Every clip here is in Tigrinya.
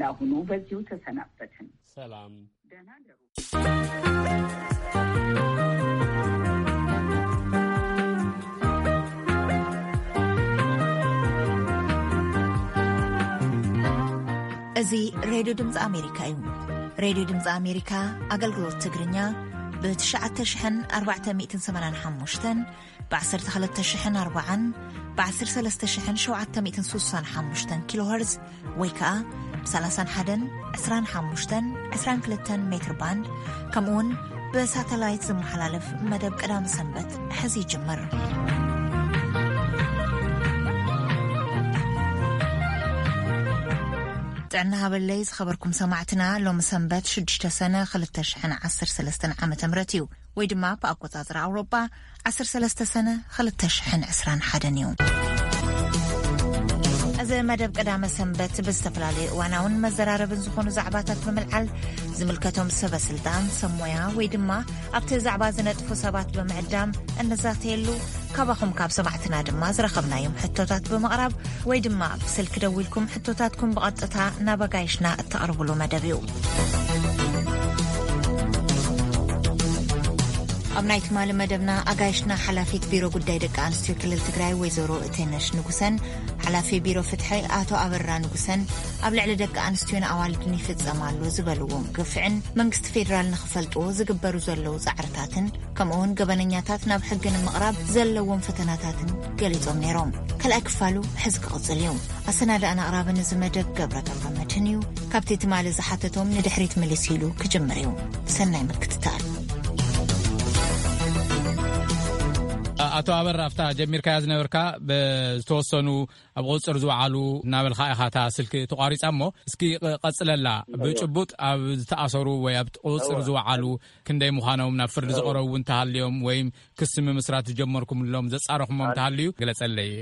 ለአሁኑ በዚሁ ተሰናበትን። ሰላም። ደህና ደሩ። እዚ ሬድዮ ድምፂ ኣሜሪካ እዩ። ሬድዮ ድምፂ ኣሜሪካ ኣገልግሎት ትግርኛ ብ ትሽዓተ ሽሕን ኣርባዕተ ሚእትን ሰማንያን ሓሙሽተን፣ ብ ዓሰርተ ክልተ ሽሕን ኣርባዓን፣ ብ ዓሰርተ ሰለስተ ሽሕን ሸውዓተ ሚእትን ስሳን ሓሙሽተን ኪሎ ሄርዝ ወይ ከኣ ብ ሰላሳን ሓደን፣ ዕስራን ሓሙሽተን፣ ዕስራን ክልተን ሜትር ባንድ፣ ከምኡውን ብሳተላይት ዝመሓላለፍ መደብ ቀዳመ ሰንበት ሕዚ ይጅምር። ጥዕና ሃበለይ ዝኸበርኩም ሰማዕትና፣ ሎሚ ሰንበት ሽዱሽተ ሰነ ክልተ ሽሕን ዓሰርተ ሰለስተን ዓመተ ምህረት እዩ። ወይ ድማ ብኣቆጻጽራ ኣውሮጳ ዓሰርተ ሰለስተ ሰነ ክልተ ሽሕን ዕስራን ሓደን እዩ። እዚ መደብ ቀዳመ ሰንበት ብዝተፈላለዩ እዋናውን መዘራረብን ዝኾኑ ዛዕባታት ብምልዓል፣ ዝምልከቶም ሰበ ስልጣን፣ ሰብ ሞያ ወይ ድማ ኣብቲ ዛዕባ ዝነጥፉ ሰባት ብምዕዳም እንዛተየሉ፣ ካባኹም ካብ ሰማዕትና ድማ ዝረኸብናዮም ሕቶታት ብምቕራብ ወይ ድማ ብስልኪ ደዊልኩም ሕቶታትኩም ብቐጥታ ናብ ኣጋይሽና እተቕርብሉ መደብ እዩ። ኣብ ናይ ትማሊ መደብና ኣጋይሽና ሓላፊት ቢሮ ጉዳይ ደቂ ኣንስትዮ ክልል ትግራይ ወይዘሮ እቴነሽ ንጉሰን፣ ሓላፊ ቢሮ ፍትሒ ኣቶ ኣበራ ንጉሰን ኣብ ልዕሊ ደቂ ኣንስትዮን ኣዋልድን ይፍጸም ኣሎ ዝበልዎም ግፍዕን መንግስቲ ፌዴራል ንኽፈልጥዎ ዝግበሩ ዘለዉ ጻዕርታትን ከምኡውን ገበነኛታት ናብ ሕጊ ንምቕራብ ዘለዎም ፈተናታትን ገሊጾም ነይሮም። ካልኣይ ክፋሉ ሕዚ ክቕጽል እዩ። ኣሰናዳእን ኣቕራብን እዚ መደብ ገብረ ገብረ መድህን እዩ። ካብቲ ትማሊ ዝሓተቶም ንድሕሪት ምልስ ኢሉ ክጅምር እዩ። ሰናይ ምክትታል። ኣቶ ኣበራ፣ ኣብታ ጀሚርካያ ዝነበርካ ብዝተወሰኑ ኣብ ቁጽጽር ዝወዓሉ እናበልካ ኢኻ እታ ስልኪ ተቋሪጻ እሞ፣ እስኪ ቕ-፣ ቀጽለላ። እዎ። ብጭቡጥ ኣብ ዝተኣሰሩ ወይ ኣብ ቁጽጽር እዎ። ዝወዓሉ ክንደይ ምዃኖም፣ ናብ ፍርዲ እዎ። ዝቐረቡ እውን ተሃልዮም ወይም ክሲ ምምስራት ዝጀመርኩምሎም ዘጻረኹሞም ኣን- ተሃልዩ ግለጸለይ።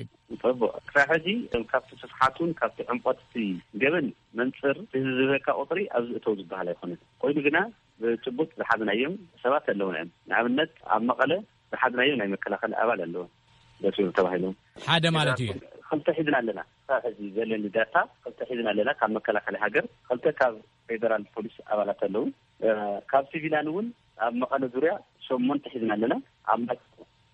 ጽቡቕ። ክሳብ ሕጂ ካብቲ ስፍሓቱን ካብቲ ዕምቆት እቲ ገበን መንጽር እቲ ዝህበካ ቁጽሪ ኣብዚ እተው ዝበሃል ኣይኮነን። ኮይኑ ግና ብጭቡጥ ዝሓዝናዮም ሰባት ኣለውና እዮም። ንኣብነት ኣብ መቐለ ዝሓዝናዮ ናይ መከላኸሊ ኣባል ኣለዎ። በስሩ ተባሂሎም ሓደ ማለት እዩ። ክልተ ሒዝና ኣለና። ክሳብ ሕጂ ዘለኒ ዳታ ክልተ ሒዝና ኣለና። ካብ መከላኸሊ ሃገር ክልተ ካብ ፌደራል ፖሊስ ኣባላት ኣለዉ። እ፣ ካብ ሲቪላን እውን ኣብ መቐለ ዙርያ ሸሞንተ ሒዝና ኣለና። ኣብ ማይ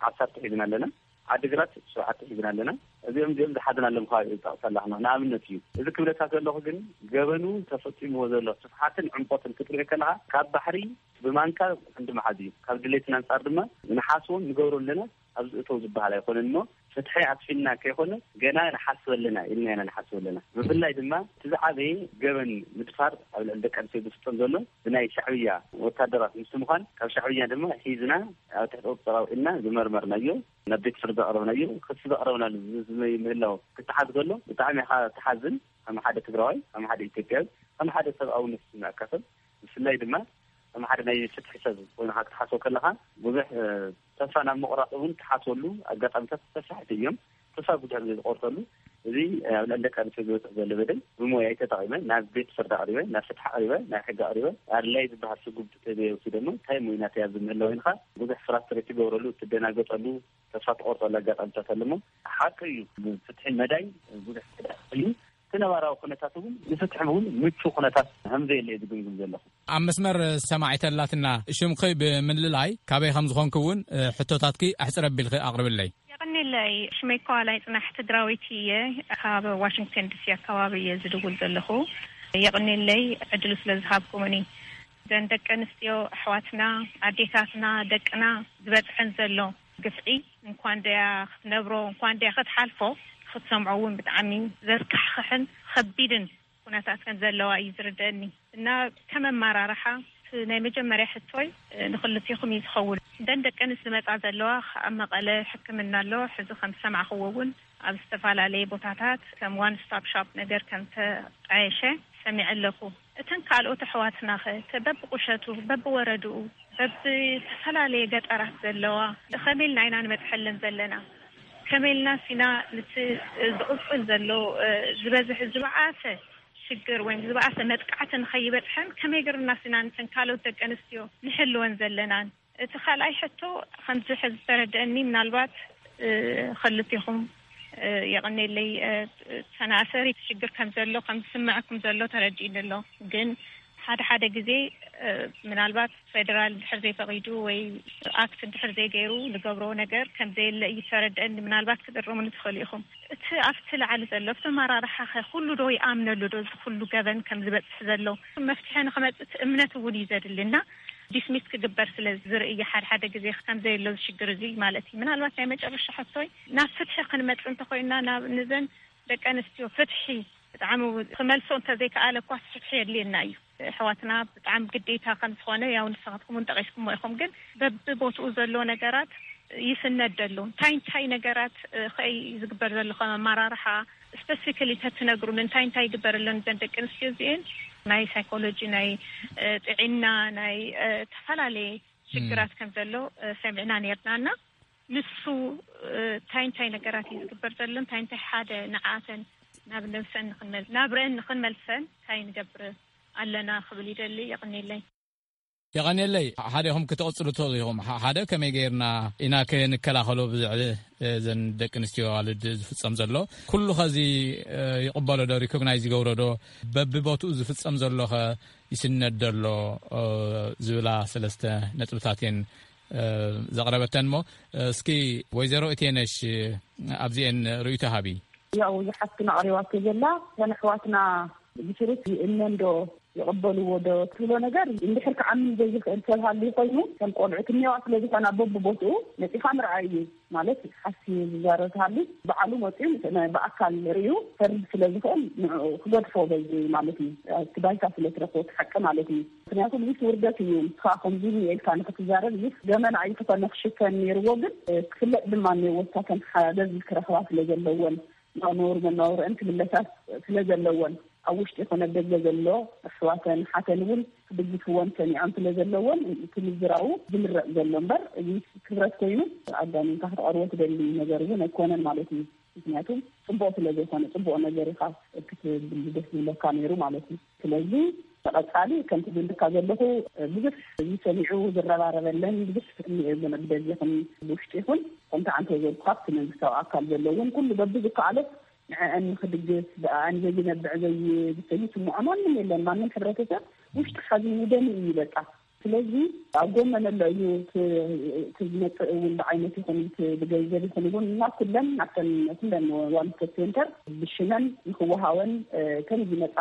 ዓሰርተ ሒዝና ኣለና። ዓዲግራት ሸውዓተ ሒዝና ኣለና። እዚኦም እዚኦም ዝሓዝናሎም ከባቢ እየ ዝጠቕሰላ ንኣብነት እዩ። እዚ ክብለካ ዘለኹ ግን ገበኑ ተፈጺምዎ ዘሎ ስፍሓትን ዕምቆትን ክትርኢ ከለኻ ካብ ባሕሪ ብማንካ ክንዲ መሓዝ እዩ። ካብ ድሌትና ኣንጻር ድማ ንሓስቦን ንገብሮ ኣለና ኣብዚ እተው ዝበሃል ኣይኮነን እሞ ፍትሒ ኣስፊንና ከይኮነ ገና ንሓስብ ኣለና ኢልና ኢና ንሓስብ ኣለና። ብፍላይ ድማ እቲ ዝዓበየ ገበን ምድፋር ኣብ ልዕሊ ደቂ ኣንስትዮ ዝፍጸም ዘሎ ብናይ ሻዕብያ ወታደራት ምስቲ ምዃን ካብ ሻዕብያ ድማ ሒዝና ኣብ ትሕቲ ቁጽጽር ኣውዒልና ዝመርመርናዮ ናብ ቤት ፍርዲ ዘቕረብናዮ ክሲ ዘቕረብናሉ ዝ-፣ ዝ-፣ ምህላው ክትሓዝ ከሎ ብጣዕሚ ኢኻ ትሓዝን። ከም ሓደ ትግራዋይ፣ ከም ሓደ ኢትዮጵያዊ፣ ከም ሓደ ሰብኣውነት ዝስምዐካ ሰብ ብፍላይ ድማ ከም ሓደ ናይ ፍትሒ ሰብ ኮይንካ ክትሓስቦ ከለኻ ብዙሕ፣ እ፣ ተስፋ ናብ ምቑራፅ እውን ትሓስበሉ ኣጋጣሚታት ሰፋሕቲ እዮም። ተስፋ ብዙሕ ግዜ ዝቆርፀሉ እዚ ኣብ ልዕሊ ደቂ ኣንስትዮ ዝበፅሕ ዘሎ በደል ብሞያይ ተጠቒመ ናብ ቤት ፍርዲ ኣቕሪበ፣ ናብ ፍትሒ ኣቕሪበ፣ ናብ ሕጊ ኣቕሪበ ኣድላይ ዝበሃል ስጉምቲ ተዘይወሲደ እሞ እንታይ ሞይናት እያ ዝምህላው ኢልካ ብዙሕ ፍራስትሬት ትገብረሉ፣ ትደናገፀሉ፣ ተስፋ ትቆርፀሉ ኣጋጣሚታት ኣለሞ ሓቂ እዩ። ብፍትሒ መዳይ ብዙሕ ተዳኺሉ እዩ። እቲ ነባራዊ ኩነታት እውን ንፍትሒ እውን ምቹ ኩነታት ከም ዘየለ እዩ ዝግምግም ዘለኹ። ኣብ መስመር ሰማዒተላትና ሽምኺ ብምልላይ ካበይ ከም ዝኾንኪ እውን፣ እ፣ ሕቶታትኪ ኣሕፅር ኣቢልኺ ኣቕርብለይ። የቐኔለይ፣ ሽመይ ከዋላይ ጽናሕ ትግራወይቲ እየ። ካብ ዋሽንግተን ዲሲ ኣካባቢ እየ ዝድውል ዘለኹ። የቐኔለይ ዕድሉ ስለ ዝሃብኩምኒ። እዘን ደቂ ኣንስትዮ ኣሕዋትና፣ ኣዴታትና፣ ደቅና ዝበጽሐን ዘሎ ግፍዒ እንኳን ደያ ክትነብሮ፣ እንኳን ደያ ክትሓልፎ፣ ክትሰምዖ እውን ብጣዕሚ ዘስካሕኽሕን ከቢድን ኩነታት ከም ዘለዋ እዩ ዝርደአኒ። እና ከም ኣመራርሓ እቲ ናይ መጀመርያ ሕቶይ፣ እ፣ ንክልቴኹም እዩ ዝኸውን። እንደን ደቂ ኣንስትዮ ዝመጻ ዘለዋ ኣብ መቐለ ሕክምና ኣሎ። ሕዚ ከም ዝሰማዕኽዎ እውን ኣብ ዝተፈላለየ ቦታታት ከም ዋን ስቶፕ ሾፕ ነገር ከም ተጣየሸ ሰሚዐ ኣለኹ። እተን ካልኦት ኣሕዋትና ኸ፣ ተ-፣ በብቁሸቱ፣ በብወረድኡ፣ በብዝተፈላለየ ገጠራት ዘለዋ፣ ከመይ ኢልና ኢና ንበጽሐለን ዘለና? ከመይ ኢልና ሲና ንቲ ዝቕጽል ዘሎ፣ እ፣ ዝበዝሕ፣ ዝበኣሰ ሽግር ወይም ዝበኣሰ መጥቃዕቲ ንኸይበጽሐን ከመይ ገርና ሲና ንተን ካልኦት ደቂ ኣንስትዮ ንሕልወን ዘለናን? እቲ ካልኣይ ሕቶ ከምዚ ሕዚ ዝተረድአኒ ምናልባት፣ እ፣ ክልቴኹም የቐኔለይ። ተናእሰሪ ሽግር ከም ዘሎ ከም ዝስምዐኩም ዘሎ ተረዲእኒ ኣሎ። ግን ሓደ ሓደ ግዜ ምናልባት ፌደራል ድሕር ዘይፈቒዱ ወይ ኣክት ድሕር ዘይገይሩ ንገብሮ ነገር ከም ዘየለ እዩ ተረድአኒ። ምናልባት ክትእርሙኒ ትኽእሉ ኢኹም። እቲ ኣብቲ ላዕሊ ዘሎ ኣብቲ ኣመራርሓ ኸ ኩሉ ዶ ይኣምነሉ ዶ? እዚ ኩሉ ገበን ከም ዝበፅሕ ዘሎ መፍትሒ ንክመፅእ እቲ እምነት እውን እዩ ዘድልና። ዲስሚስ ክግበር ስለ ዝርኢ ሓደ ሓደ ግዜ ከም ዘየሎ እዚ ሽግር እዚ ማለት እዩ። ምናልባት ናይ መጨረሻ ሕቶይ ናብ ፍትሒ ክንመፅእ እንተኮይና ናብ ንዘን ደቂ ኣንስትዮ ፍትሒ ብጣዕሚ ክመልሶ እንተዘይከኣለ እኳ ፍትሒ የድልየና እዩ። ኣሕዋትና ብጣዕሚ ግዴታ ከም ዝኾነ ያው ንስኻትኩም እውን ጠቂስኩሞ ኢኹም። ግን በብቦትኡ ዘሎ ነገራት ይስነድ ኣሎ። እንታይ እንታይ ነገራት ከይ ዝግበር ዘሎ ከም ኣመራርሓ ስፐሲፊካሊ ተትነግሩን እንታይ እንታይ ይግበር ኣሎ ንዘን ደቂ ኣንስትዮ እዚኤን? ናይ ሳይኮሎጂ ናይ ጥዒና ናይ ዝተፈላለየ ሽግራት ከም ዘሎ ሰሚዕና ነርና እና ንሱ እንታይ እንታይ ነገራት እዩ ዝግበር ዘሎ እንታይ እንታይ ሓደ ንዓተን ናብ ነብሰን ንክንመል ናብረአን ንክንመልሰን እንታይ ንገብር ኣለና ክብል ይደሊ። የቕኔለይ። የቐኔለይ። ሓደ ኢኹም ክትቕፅሉ ትኽእሉ ኢኹም። ሓደ ከመይ ገይርና ኢና ከንከላኸሎ ብዝዕሊ ዘን ደቂ ኣንስትዮ ኣዋልድ ዝፍፀም ዘሎ ኩሉ ኸዚ ይቕበሎ ዶ ሪኮግናይዝ ይገብሮ ዶ በብቦትኡ ዝፍፀም ዘሎ ኸ ይስነድ ደሎ ዝብላ ሰለስተ ነጥብታት እየን ዘቕረበተን እሞ እስኪ ወይዘሮ እቴነሽ ኣብዚኤን ርእይቶ ሃቢ። ያው ዝሓፍትና ኣቕሪባቶ ዘላ እተን ኣሕዋትና ብስሩት ይእመን ዶ ይቕበልዎ ዶ ትብሎ ነገር እንድሕር ክዓምን ዘይኽእል ሰብ ሃልዩ ኮይኑ ከም ቆልዑ ትንየዋ ስለ ዝኾና በብቦትኡ መፂኻ ምርኣይ እዩ። ማለት ሓስዩ ዝዛረብ ተሃልዩ ባዕሉ መፂኡ ብኣካል ርእዩ ፈርድ ስለ ዝኽእል ንዕኡ ክገድፎ በዚ ማለት እዩ። እቲ ባይታ ስለ ትረኽቦ እቲ ሓቂ ማለት እዩ። ምክንያቱ ብዙሕ ውርደት እዩ። ንስኻ ከምዚ ኢልካ ንክትዛረብ እዚስ ገመና ኣይትኾነ ክሽፈን ነይርዎ ግን ክፍለጥ ድማ እኒአዎ። እሳተን ሓገዝ ክረኽባ ስለ ዘለወን ናብ ነውር መናውርአን ክምለሳት ስለ ዘለወን ኣብ ውሽጢ ኮነ ደገ ዘሎ ኣሕዋተን ሓተን እውን ክድግፍወን ሰኒዖም ስለ ዘለወን እቲ ምዝራቡ ዝምረፅ ዘሎ እምበር እዚ ክብረት ኮይኑ ኣጋኒንካ ክትቐርቦ ትደሊ ነገር እውን ኣይኮነን ማለት እዩ። ምክንያቱ ፅቡቅ ስለ ዘይኮነ ፅቡቅ ነገር ኢካ ክትብል ደስ ዝብለካ ነይሩ ማለት እዩ። ስለዚ ተቐፃሊ ከምቲ ዝብለካ ዘለኹ ብዙሕ ዝሰሚዑ ዝረባረበለን ብዙሕ እኒኤ ብደጅ ይኹን ብውሽጢ ይኹን ከምቲ ዓንተ ዘልኩ ካብቲ መንግስታዊ ኣካል ዘሎ እውን ኩሉ በቢ ዝከኣሎ ንዐአን ንክድግፍ ብኣን ዘይነብዕ ዘይዝሰ ይስምዖ ማንም የለን። ማንም ሕብረተሰብ ውሽጢ ሓዚኑ ደሚ እዩ በቃ። ስለዚ ኣብ ጎመን ኣሎ እዩ እቲ ዝመፅእ እውን ብዓይነት ይኹን ብገንዘብ ይኹን እውን እና ኩለን ናብተን ኩለን ዋንስቶፕ ሴንተር ብሽመን ንክወሃወን ከም ዝመፃ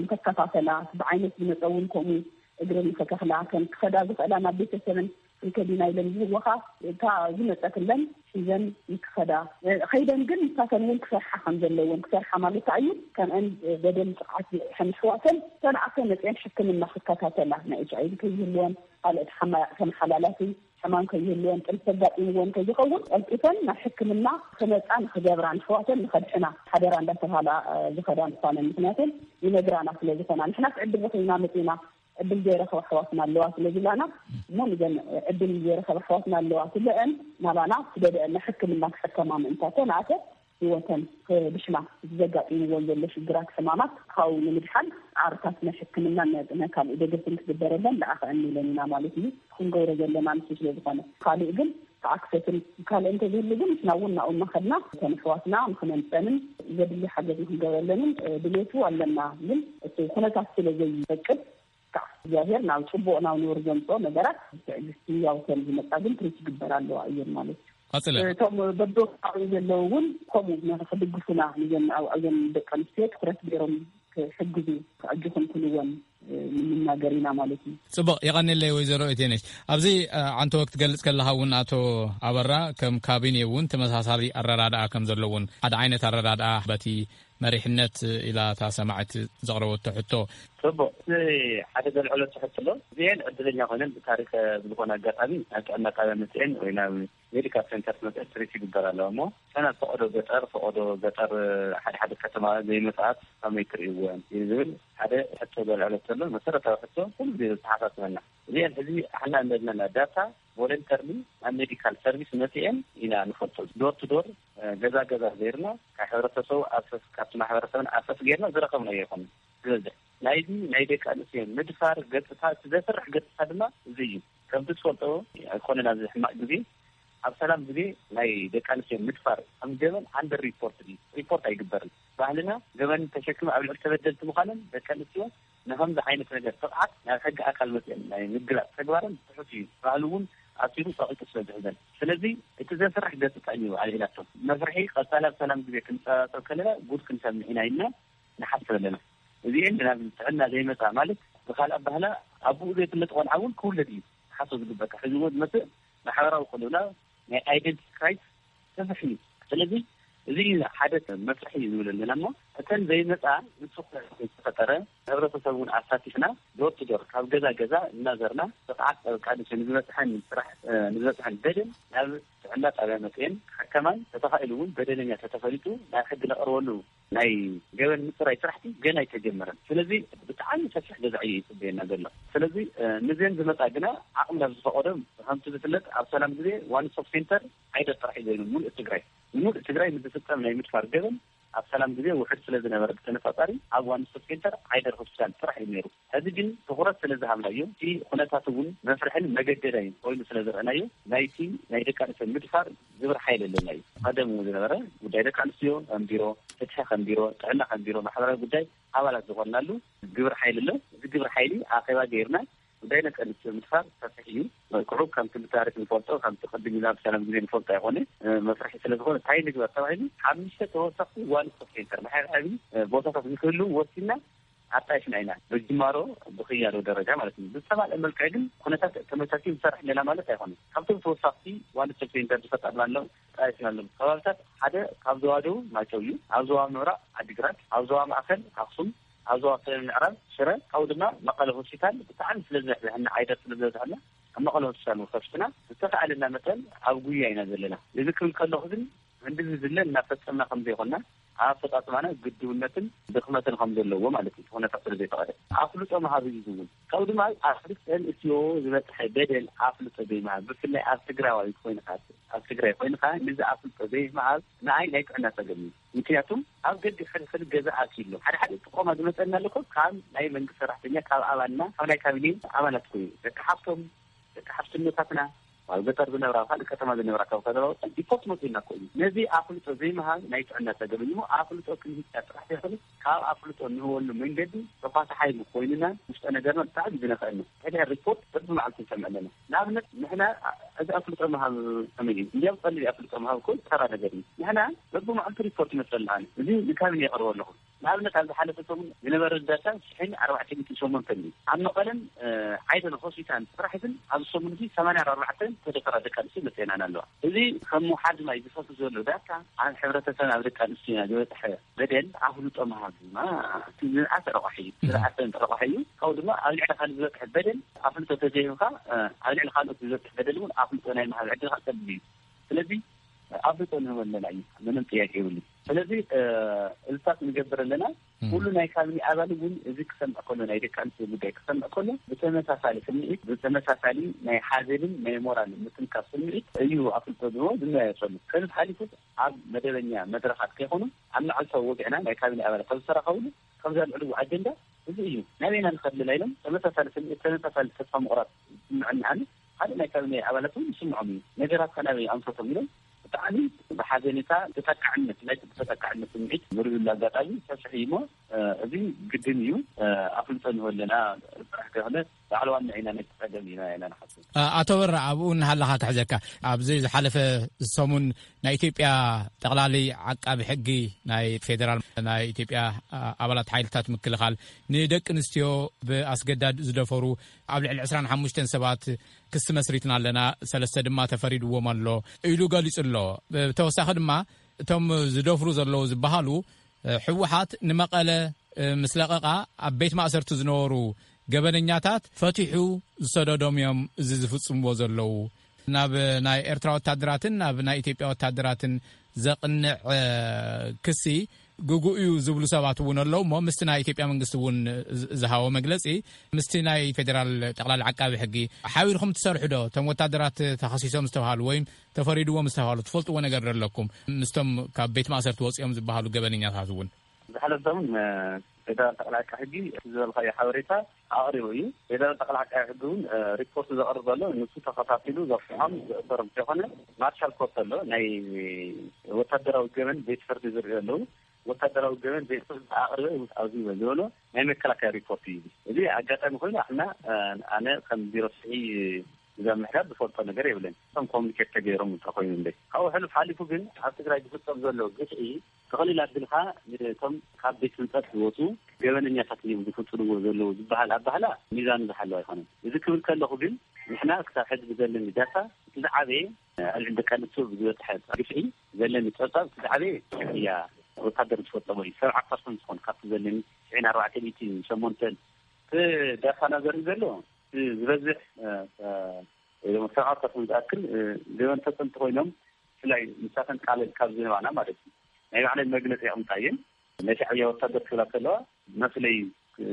ንከከፋፈላ ብዓይነት ዝመፀ እውን ከምኡ እግሪ ንከተኽላ ከም ክኸዳ ዝኽእላ ናብ ቤተሰብን ከዲና ኢለን ዝህወኻ እታ ዝመፀትለን ሒዘን ይክኸዳ። ከይደን ግን ንሳተን እውን ክሰርሓ ከም ዘለወን ክሰርሓ ማለት እዩ። ከምአን በደል ጥቕዓት ዝብፅሐን ኣሕዋተን ተንኣከ መፅአን ሕክምና ክከታተላ ናይ ኤች ኣይቪ ከይህልወን ካልኦት ሓማያቕ ተመሓላላፊ ሕማም ከይህልወን ጥንሲ ኣጋጢምወን ከይኸውን ቀልጢፈን ናብ ሕክምና ክመፃ ንክገብራ ንሕዋተን ንከድሕና ሓደራ እንዳተባሃላ ዝኸዳ ምኳነን ምክንያቱም ይነግራና ስለ ዝኾና ንሕና ክዕድል ረኺብና መፂና ዕድል ዘይረኸባ ኣሕዋትና ኣለዋ ስለ ዝብላና እሞ ንዘን ዕድል ዘይረኸባ ኣሕዋትና ኣለዋ ትለአን ናባና ስደደአን ሕክምና ክሕከማ ምእንታ ተንኣተ ህይወተን ክድሕና እቲ ዘጋጢምዎን ዘሎ ሽግራት ሕማማት ካብኡ ንምድሓን ዓርታት ናይ ሕክምና ናይ ካልእ ደገፍን ክግበረለን ለኣኸአን ኢለን ኢና ማለት እዩ። ክንገብሮ ዘለና ንሱ ስለ ዝኾነ ካልእ ግን ተኣክሰትን ካልእ እንተዝህሉ ግን ንሕና እውን ናብኡ እናኸድና እተን ኣሕዋትና ንክነምፀንን ዘድሊ ሓገዝ ንክንገብረለንን ድሌቱ ኣለና። ግን እቲ ኩነታት ስለ ዘይፈቅድ ካብ እግዚኣብሔር ናብ ፅቡቅ ናብ ኑር ዘምፅኦ ነገራት ብትዕግስቲ ያው ከም ዝመፃ ግን ትሪት ይግበር ኣለዋ እየን ማለት እዩ። ቀፅለ። እቶም በብከባቢ ዘለዉ እውን ከምኡ ክድግፉና ንዘን ኣብኣዘን ደቂ ኣንስትዮ ትኩረት ገይሮም ክሕግዙ ክዕጅኹም ኩልወን ንምናገር ኢና ማለት እዩ። ፅቡቅ የቐንለይ ወይዘሮ እቴነሽ። ኣብዚ ዓንተ ወቅት ገልፅ ከለካ እውን ኣቶ ኣበራ ከም ካቢኔ እውን ተመሳሳሊ ኣረዳድኣ ከም ዘለውን ሓደ ዓይነት ኣረዳድኣ በቲ መሪሕነት ኢላ እታ ሰማዕት ዘቕረበቶ ሕቶ። ጽቡቕ። እቲ ሓደ ዘልዕሎ ሕቶ ኣሎ። እዚኤን ዕድለኛ ኮይነን ብታሪኽ ብዝኾነ ኣጋጣሚ ናብ ጥዕና ጣብያ መጽኤን ወይ ናብ ሜዲካል ሴንተር መጽኤን ትሪት ይግበር ኣለዋ እሞ፣ እተን ኣብ ፈቐዶ ገጠር፣ ፈቐዶ ገጠር ሓደ ሓደ ከተማ ዘይመጽኣት ከመይ ትርእይወን እዩ ዝብል ሓደ ሕቶ ዘልዕሎ ዘሎ መሰረታዊ ሕቶ ኩሉ ግዜ ዘተሓሳስበና። እዚኤን ሕዚ ሓና እንደለና ዳታ ቮለንተርሊ ናብ ሜዲካል ሰርቪስ መጽኤን ኢና ንፈልጦ። ዶር ቱ ዶር፣ ገዛ ገዛ ጌርና ካብ ሕብረተሰቡ ኣሰስ፣ ካብቲ ማሕበረሰብና ኣሰስ ጌርና ዝረኸብናዮ ኣይኮነን ዝበዝሕ። ናይዚ ናይ ደቂ ኣንስትዮ ምድፋር ገጽታ፣ እቲ ዘፍርሕ ገጽታ ድማ እዚ እዩ። ከምቲ ትፈልጦ ኣይኮነን ኣብዚ ሕማቕ ግዜ ኣብ ሰላም ግዜ ናይ ደቂ ኣንስትዮ ምድፋር ከም ገበን ኣንደር ሪፖርት እዩ። ሪፖርት ኣይግበርን። ባህልና ገበን ተሸክመ ኣብ ልዕሊ ተበደልቲ ምዃነን ደቂ ኣንስትዮ ንከምዚ ዓይነት ነገር ጥቕዓት ናብ ሕጊ ኣካል መፅአን ናይ ምግላፅ ተግባረን ትሑት እዩ። ባህሉ እውን ኣሲሩ ፀቒጡ ስለ ዝሕዘን። ስለዚ እቲ ዘፍርሕ ገፅታ እዩ ኣልዒላቶ። መፍርሒ ቀፃሊ ኣብ ሰላም ግዜ ክንፀባፀብ ከለና ጉድ ክንሰምዕ ኢና ኢልና ንሓስብ ኣለና። እዚኤን ናብ ጥዕና ዘይመፃ ማለት ብካልእ ኣባህላ ኣቦኡ ዘይፍለጥ ቆልዓ እውን ክውለድ እዩ ሓሶ ዝግበካ። ሕዚ እውን ዝመፅእ ማሕበራዊ ቅልውላ ናይ ኣይደንቲቲ ክራይስ ሰፍሕ እዩ። ስለዚ እዚ ሓደ መስርሒ እዩ ዝብል ኣለና እሞ እተን ዘይመፃ ንሱ ዝተፈጠረ ህብረተሰብ እውን ኣሳቲፍና ዶር ቱ ዶር ካብ ገዛ ገዛ እናዘርና ብቕዓት ጠበቃ ንሱ ንዝበፅሐን ስራሕ ንዝበፅሐን በደል ናብ ጥዕና ጣብያ መፅየን ሓከማን ተተኻኢሉ እውን በደለኛ ተተፈሊጡ ናብ ሕጊ ነቕርበሉ ናይ ገበን ምፅራይ ስራሕቲ ገና ኣይተጀመረን። ስለዚ ብጣዕሚ ሰፊሕ ገዛ እዩ ይፅበየና ዘሎ። ስለዚ ንዘን ዝመፃ ግና ዓቕሚ ናብ ዝፈቐዶ ከምቲ ዝፍለጥ ኣብ ሰላም ግዜ ዋን ስቶፕ ሴንተር ዓይደር ጥራሕ እዩ ዘይኑ ሙሉእ ትግራይ ሙሉእ ትግራይ ንዝፍፀም ናይ ምድፋር ገበን ኣብ ሰላም ግዜ ውሕድ ስለ ዝነበረ ብተነፃፃሪ ኣብ ዋን ስቶፕ ሴንተር ዓይደር ሆስፒታል ጥራሕ እዩ ነይሩ። ሕዚ ግን ትኹረት ስለ ዝሃብናዮ እቲ ኩነታት እውን መፍርሕን መገደዳይን ኮይኑ ስለ ዝረአናዮ ናይቲ ናይ ደቂ ኣንስትዮ ምድፋር ግብረ ሓይሊ ኣለና እዩ። ቀደም እውን ዝነበረ ጉዳይ ደቂ ኣንስትዮ ከም ቢሮ ፍትሒ ከም ቢሮ ጥዕና ከም ቢሮ ማሕበራዊ ጉዳይ ኣባላት ዝኾንናሉ ግብረ ሓይሊ ኣሎ። እዚ ግብረ ሓይሊ ኣኼባ ገይርና ጉዳይ ደቂ ኣንስትዮ ምድፋር ሰፊሕ እዩ። መልክዑ ከምቲ ብታሪክ ንፈልጦ ከምቲ ቅድም ኢላ ብሰላም ግዜ ንፈልጦ ኣይኮነ መስርሒ ስለ ዝኾነ እንታይ ንግበር ተባሂሉ ሓሙሽተ ተወሰኽቲ ዋን ስቶፕ ሴንተር መሓብሐቢ ቦታታት ንክህልው ወሲና ኣጣይሽና ኢና። ብጅማሮ ብክያዶ ደረጃ ማለት እዩ። ብዝተማልአ መልክዕ ግን ኩነታት ተመቻችዩ ንሰርሕ ኣለና ማለት ኣይኮነን። ካብቶም ተወሳኽቲ ዋን ስቶፕ ሴንተር ዝፈጠርናሎም ኣጣይሽናሎም ከባብታት ሓደ ካብ ዞባ ደቡብ ማይጨው እዩ። ኣብ ዞባ ምብራቕ ዓዲግራት፣ ኣብ ዞባ ማእከል ኣኽሱም፣ ኣብ ዞባ ሰሜን ምዕራብ ሽረ፣ ካብኡ ድማ መቐለ ሆስፒታል ብጣዕሚ ስለ ዝበዝሐና ዓይደር ስለ ዝበዝሐና ኣብ መቐለ ሆስፒታል እውን ከፊትና ዝተኻእለና መጠን ኣብ ጉያ ኢና ዘለና። እዚ ክብል ከለኹ ግን ክንድዚ ዝለ እናፈጸምና ከም ዘይኮንና ኣብ ኣፈጻጽማና ግድውነትን ድኽመትን ከም ዘለዎ ማለት እዩ። እቲ ኩነታት ስለ ዘይፈቐደ ኣፍልጦ ምሃብ እዩ ዝኸውን። ካብኡ ድማ ኣብ ክልተ ኣንስትዮ ዝበፅሐ በደል ኣፍልጦ ዘይምሃብ ብፍላይ ኣብ ትግራዋይ ኮይንካ ኣብ ትግራይ ኮይንካ ንዚ ኣፍልጦ ዘይምሃብ ንኣይ ናይ ጥዕና ፀገም እዩ። ምክንያቱም ኣብ ገድሕድሕድ ገዛ ኣትዩ ኣሎ። ሓደ ሓደ ጥቆማ ዝመፀና ኣለኮ ካብ ናይ መንግስቲ ሰራሕተኛ ካብ ኣባልና ካብ ናይ ካቢኔ ኣባላት ኮይኑ ደቂ ሓፍቶም ደቂ ሓፍትነታትና ኣብ ገጠር ዝነብራ ካልእ ከተማ ዝነብራ ካብ ከተማ ወፀን ሪፖርት መፅኡና እኮ እዩ። ነዚ ኣፍልጦ ዘይምሃብ ናይ ጥዕና ፀገም እዩ። ኣፍልጦ ክንህብ ጥራሕ ዘይኮነ ካብ ኣፍልጦ እንህበሉ መንገዲ ተኳሳሓይ ኮይንና ውሽጠ ነገርና ብጣዕሚ ዝነኸአና ሕድሕድ ሪፖርት በብመዓልቱ ንሰምዕ ኣለና። ንኣብነት ንሕና እዚ ኣፍልጦ ምሃብ ከመይ እዩ? እንዲያም ቀሊል ኣፍልጦ ምሃብ እኮ ተራ ነገር እዩ። ንሕና በብመዓልቱ ሪፖርት ይመፅእ ኣለና። እዚ ንካቢኔ የቕርቦ ኣለኹ። ንኣብነት ኣብ ዝሓለፈ ሰሙን ዝነበረ ዳታ ሽሕን ኣርባዕተ ሚእትን ሸሞንተን እዩ። ኣብ መቐለን ዓይደን ሆስፒታል ጥራሕ ግን ኣብዚ ሰሙን እዚ ሰማንያ ኣርባዕተ ተደፈራ ደቂ ኣንስትዮ መፅአናን ኣለዋ። እዚ ከም ውሓድ ማይ ዝፈሱ ዘሎ ዳታ ኣብ ሕብረተሰብ ኣብ ደቂ ኣንስትዮና ዝበፅሐ በደል ኣፍልጦ ምሃብ ድማ እቲ ዝንኣሰ ረቋሒ እዩ። ዝንኣሰ ረቋሒ እዩ። ካብኡ ድማ ኣብ ልዕሊ ካልእ ዝበፅሐ በደል ኣፍልጦ ተዘይህብካ ኣብ ልዕሊ ካልኦት ዝበፅሕ በደል እውን ኣፍልጦ ናይ ምሃብ ዕድልካ ፀቢብ እዩ። ስለዚ ኣፍልጦ ንህበለና እዩ። ምንም ጥያቄ የብሉ። ስለዚ እልታት ንገብር ኣለና። ኩሉ ናይ ካቢኔ ኣባል እውን እዚ ክሰምዕ ከሎ ናይ ደቂ ኣንስትዮ ጉዳይ ክሰምዕ ከሎ ብተመሳሳሊ ስምዒት ብተመሳሳሊ ናይ ሓዘንን ናይ ሞራል ምትንካፍ ስምዒት እዩ ኣፍልጦ ዝህቦ ዝመያየጠሉ። ከዚ ሓሊፉ ኣብ መደበኛ መድረኻት ከይኮኑ ኣብ መዓልታዊ ወግዕና ናይ ካቢኔ ኣባላት ካብ ዝተራኸብሉ ከምዚ ኣልዕልዎ ኣጀንዳ እዚ እዩ። ናበይና ንኸድልና ኢሎም ተመሳሳሊ ስምዒት ተመሳሳሊ ተስፋ ምቑራፅ ይስምዐኒ። ኣነ ካልእ ናይ ካቢኔ ኣባላት እውን ይስምዖም እዩ። ነገራት ከናበይ ኣንፈቶም ኢሎም ብጣዕሚ ብሓዘኔታ ተጠቃዕነት ናይ ተጠቃዕነት ስምዒት ዝርብሉ ኣጋጣሚ ሰፊሕ እዩ እሞ እዚ ግድን እዩ። ኣፍልጦ ንህበለና ጥራሕ ከይኮነ ባዕልዋና ኢና ነቲ ፀገም ኢና ኢና ንሓስብ። ኣቶ በራ ኣብኡ እናሃለኻ ክሕዘካ ኣብዚ ዝሓለፈ ሰሙን ናይ ኢትዮጵያ ጠቕላሊ ዓቃቢ ሕጊ ናይ ፌደራል ናይ ኢትዮጵያ ኣባላት ሓይልታት ምክልኻል ንደቂ ኣንስትዮ ብኣስገዳድ ዝደፈሩ ኣብ ልዕሊ ዕስራን ሓሙሽተን ሰባት ክሲ መስሪትና ኣለና፣ ሰለስተ ድማ ተፈሪድዎም ኣሎ ኢሉ ገሊጹ ኣሎ። ብተወሳኺ ድማ እቶም ዝደፍሩ ዘለዉ ዝበሃሉ ህወሓት ንመቐለ ምስ ለቐቓ ኣብ ቤት ማእሰርቲ ዝነበሩ ገበነኛታት ፈቲሑ ዝሰደዶም እዮም እዚ ዝፍጽምዎ ዘለዉ። ናብ ናይ ኤርትራ ወታደራትን ናብ ናይ ኢትዮጵያ ወታደራትን ዘቕንዕ ክሲ ግጉእ እዩ ዝብሉ ሰባት እውን ኣለዉ እሞ ምስቲ ናይ ኢትዮጵያ መንግስቲ እውን ዝሃቦ መግለፂ ምስቲ ናይ ፌዴራል ጠቕላሊ ዓቃቢ ሕጊ ሓቢርኩም ትሰርሑ ዶ? እቶም ወታደራት ተኸሲሶም ዝተባሃሉ ወይም ተፈሪድዎም ዝተባሃሉ ትፈልጥዎ ነገር ዶ ኣለኩም? ምስቶም ካብ ቤት ማእሰርቲ ወፂኦም ዝበሃሉ ገበነኛታት እውን ዝሓለፈ ሰሙን ፌደራል ጠቕላይ ዓቃቢ ሕጊ ዝበልካዮ ሓበሬታ ኣቕሪቡ እዩ። ፌደራል ጠቕላይ ዓቃቢ ሕጊ እውን ሪፖርት ዘቕርብ ዘሎ ንሱ ተኸታቲሉ ዘፍሖም ዘእሰሮም ዘይኮነ፣ ማርሻል ኮርት ኣሎ፣ ናይ ወታደራዊ ገበን ቤት ፍርዲ ዝርኢ ዘለዉ፣ ወታደራዊ ገበን ቤት ፍርዲ ኣቕርበ ኣብዚ ዝበ ዝበሎ ናይ መከላከያ ሪፖርት እዩ። እዚ ኣጋጣሚ ኮይኑ ኣሕና ኣነ ከም ቢሮ ፍትሒ እዛ ምሕዳር ዝፈልጦ ነገር የብለን። እቶም ኮሚኒኬት ተገይሮም እንተኮይኑ እንደ ካብኡ ሕሉፍ ሓሊፉ ግን ኣብ ትግራይ ዝፍጸም ዘሎ ግፍዒ ተቐሊል ኣቢልካ ንቶም ካብ ቤት ህንጸት ዝወፁ ገበነኛታት እዮም ዝፍፅምዎ ዘለዉ ዝበሃል ኣባህላ ሚዛኑ ዝሓለወ ኣይኮነን። እዚ ክብል ከለኹ ግን ንሕና ክሳብ ሕዚ ብዘለኒ ዳታ እቲ ዝዓበየ ኣብ ልዕሊ ደቂ ኣንስትዮ ብዝበፅሐ ግፍዒ ዘለኒ ፀብፃብ እቲ ዝዓበየ እያ ወታደር ዝፈፀሞ እዩ። ሰብዓ ፐርሰንት ዝኾን ካብቲ ዘለኒ ትሽዒን ኣርባዕተ ሚእቲ ሸሞንተን እቲ ዳታና ዘርኢ ዘሎ እቲ ዝበዝሕ ሰብዓ ፐርሰንት ዝኣክል ገበን ፈፀምቲ ኮይኖም ብፍላይ ንሳተን ቃል ካብ ዝህባና ማለት እዩ ናይ ባዕለን መግለፂ የቕምጣ እየን። ናይ ሻዕብያ ወታደር ክብላ ከለዋ መፍለይ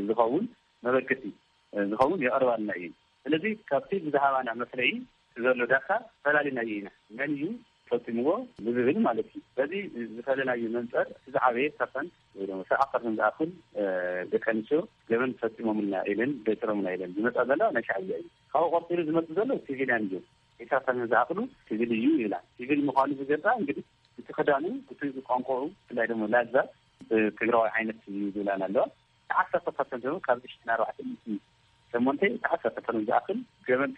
ዝኸውን መበገሲ ዝኸውን የቐርባልና እየን። ስለዚ ካብቲ ብዝሃባና መፍለይ ዘሎ ዳታ ፈላሊናዮ ኢና። መን እዩ ፈፂምዎ ብዝብል ማለት እዩ። በዚ ዝፈለናዮ መንፀር እቲ ዝዓበየ ፐርሰንት ወይ ድማ ሰብዓ ፐርሰንት ዝኣክል ደቂ ኣንስትዮ ገበን ፈፂሞምልና ኢለን ደይሰሮምና ኢለን ዝመፃ ዘለዋ ናይ ሻዕብያ እዩ። ካብኡ ቀፂሉ ዝመፅእ ዘሎ ሲቪልያን እዩ። ዒስራ ፐርሰንት ዝኣክሉ ሲቪል እዩ ይብላ። ሲቪል ምዃኑ ዝገልፃ እንግዲህ እቲ ክዳኑ እቲ ቋንቋኡ ብፍላይ ደግሞ ላዛ ትግራዊ ዓይነት እዩ ዝብላና ኣለዋ። ዓሰርተ ፐርሰንት እውን ካብዚ ሽሕን ኣርባዕተ ሚእቲ ሸሞንተ ዓሰርተ ፐርሰንት ዝኣክል ገበን